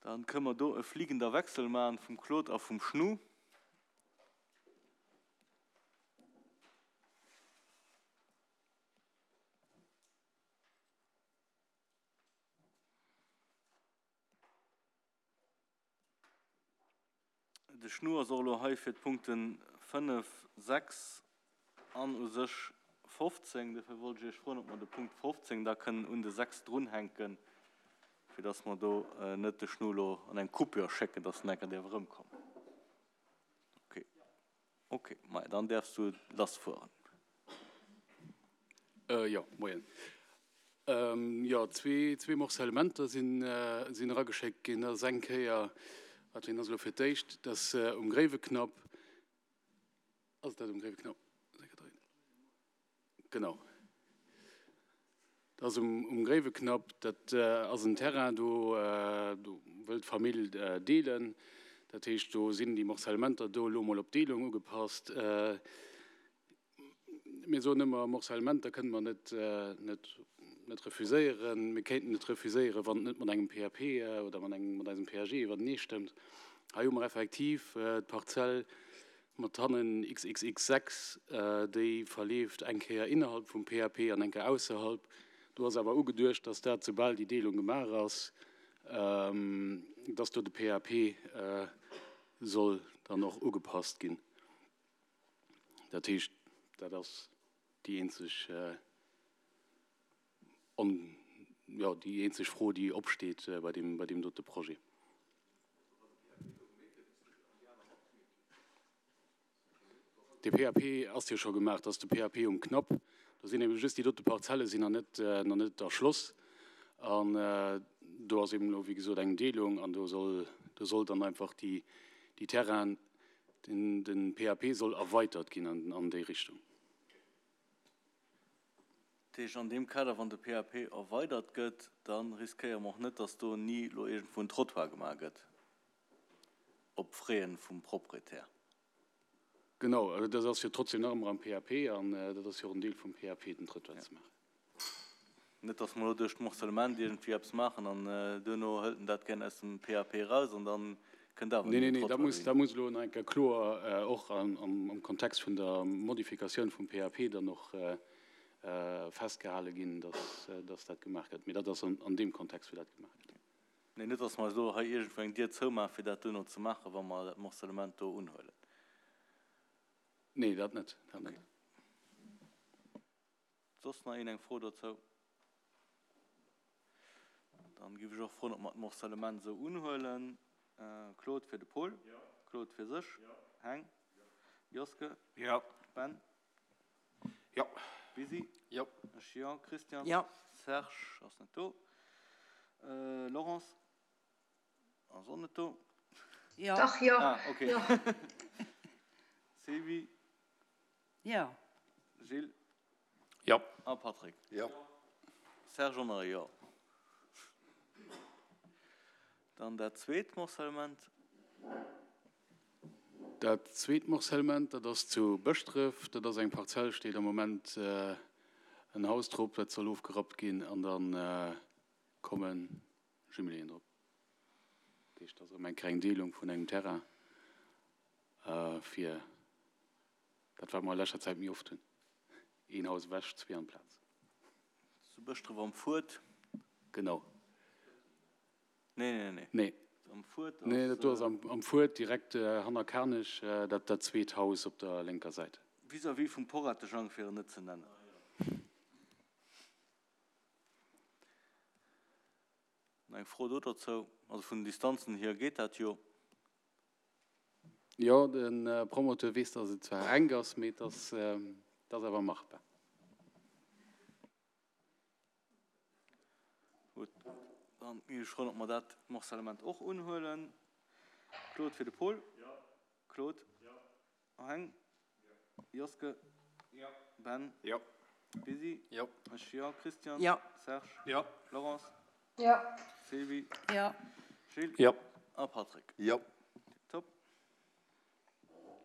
Dann kënne mer do e fliegender Wechsel maachen vum Claude a vum Schnu. De Schnu ass och elo hei fir d'Punkte 5, 6 an u sech 15. Dofir wollt ech Iech froen, ob mer de Punkt 15 da kënnen un de 6 drunhänken, fir dass mer do net de Schnu elo an eng Coupure schécken, dass en enker däerf erëmkommen. Okay. Okay, maja, dann däerfs du lassfueren. Jo, moien. Jo, zwee Morcellementer sinn erageschéckt ginn. Dat ass eng Kéier, wat fir een ass elo fir d'éischt, dat ass um Gréiweknapp. Ass dat um Gréiweknapp? Genau. Dat ass um Gréiweknapp. Dat ass en Terrain, do wëll d'Famill deelen. Dat heescht, do sinn déi Morcellementer do elo emol op d'Deelung ugepasst. Mir soen ëmmer, Morcellementer kënne mer net, net, net refuséieren. Mir kéinten et refuséieren, wann et net mat engem PAP oder mat engem, mat eisem PAG iwwerteneestëmmt. Hei hu mer effektiv d'Parzell mat hannen XXX 6, déi verleeft eng Kéier innerhalb vum PAP an eng Kéier ausserhalb. Do ass awer ugeduecht, dass dat, soubal déi Deelung gemaach ass, dass do de PAP soll dann och ugepasst ginn. Dat heescht, dat ass déi eenzeg, jo, déi eenzeg Fro, déi opsteet bei deem, bei deem dote Projet. De PAP ass jo scho gemaach, dat ass de PAP um Knapp. Do sinn ebe just déi dote Parzelle sinn nach net, nach net erschloss. An do ass eben elo, wéi gesot, eng Deelung an do soll, do soll dann einfach déi, déi Terrainen, Den PAP soll erweitert ginn an déi Richtung. Dat heescht, an deem Kader, wann de PAP erweidert gëtt, da riskéiere mer och net, datt do ni elo iergendwou en Trottoir gemaach gëtt op Frais vum Proprietär. Genau, also dat ass jo trotzdem nach ëmmer am PAP an dat ass jo och en Deel vum PAP, den Trottoir ze maachen. Net, dass mer elo duerch d'Morcellement iergendwéi eppes maachen an duerno hëlt en dat gär aus dem PAP eraus an da kënnt awer ni en Trottoir dohin. Nee, dat muss elo nach eng Kéier kloer och am Kontext vun der Modifikatioun vum PAP dann och festgehale ginn, dass dat gemaach gëtt. Mee dat ass an deem Kontext, wou dat gemaach gëtt. Nee, net, dass mer eis elo hei iergendwou eng Dier zoumaachen, fir dat duerno ze maachen, wa mer dat Morcellement do unhuelen. Nee, dat net, dat net. Soss nach een eng Fro dozou? Dann giff ech och froen, ob mer d'Morcellement esou unhuelen. Claude fir de Paul. Claude fir sech. Heng. Joske. Ben. Bisi. Ech jo. Christian. Serge ass net do. Laurence ass och net do. Dach, jo. Ah, okay. Sylvie. Jo. Gilles. Jo. A Patrick. Jo. Serge och nach e Jo. Dann dat zweet Morcellement. Dat zweet Morcellement, dat ass zu Bëschdref. Dat ass eng Parzell, steet am Moment en Haus drop, dat soll ofgerappt ginn an da komme Jumeléen drop. Dat heescht, dat ass erëm eng kleng Deelung vun engem Terrain fir Dat wat mer a leschter Zäit méi oft hunn, een Haus ewech, zwee an d'Plaz. Zu Bëschdref am Fuert? Genau. Nee, nee, nee. Nee. Am Fuert ass. Nee, dat do ass am Fuert, direkt hanner Kanech, dat dat zweet Haus op der lénker Säit. Vis-à-vis vum Poratejang, fir en net ze nennen. Nach eng Fro do dozou? Also vun den Distanzen hier geet dat jo. Jo, de Promoteur weess, dass et zwar enk ass, mee et ass awer machbar. Gutt, dann ginn ech froen, ob mer dat Morcellement och unhuelen. Claude fir de Paul. Claude. Heng. Joske. Ben. Bisi. Ech jo. Christian. Serge. Laurence. Jo. Sylvie. Jo. Gilles. Jo. A Patrick. Jo.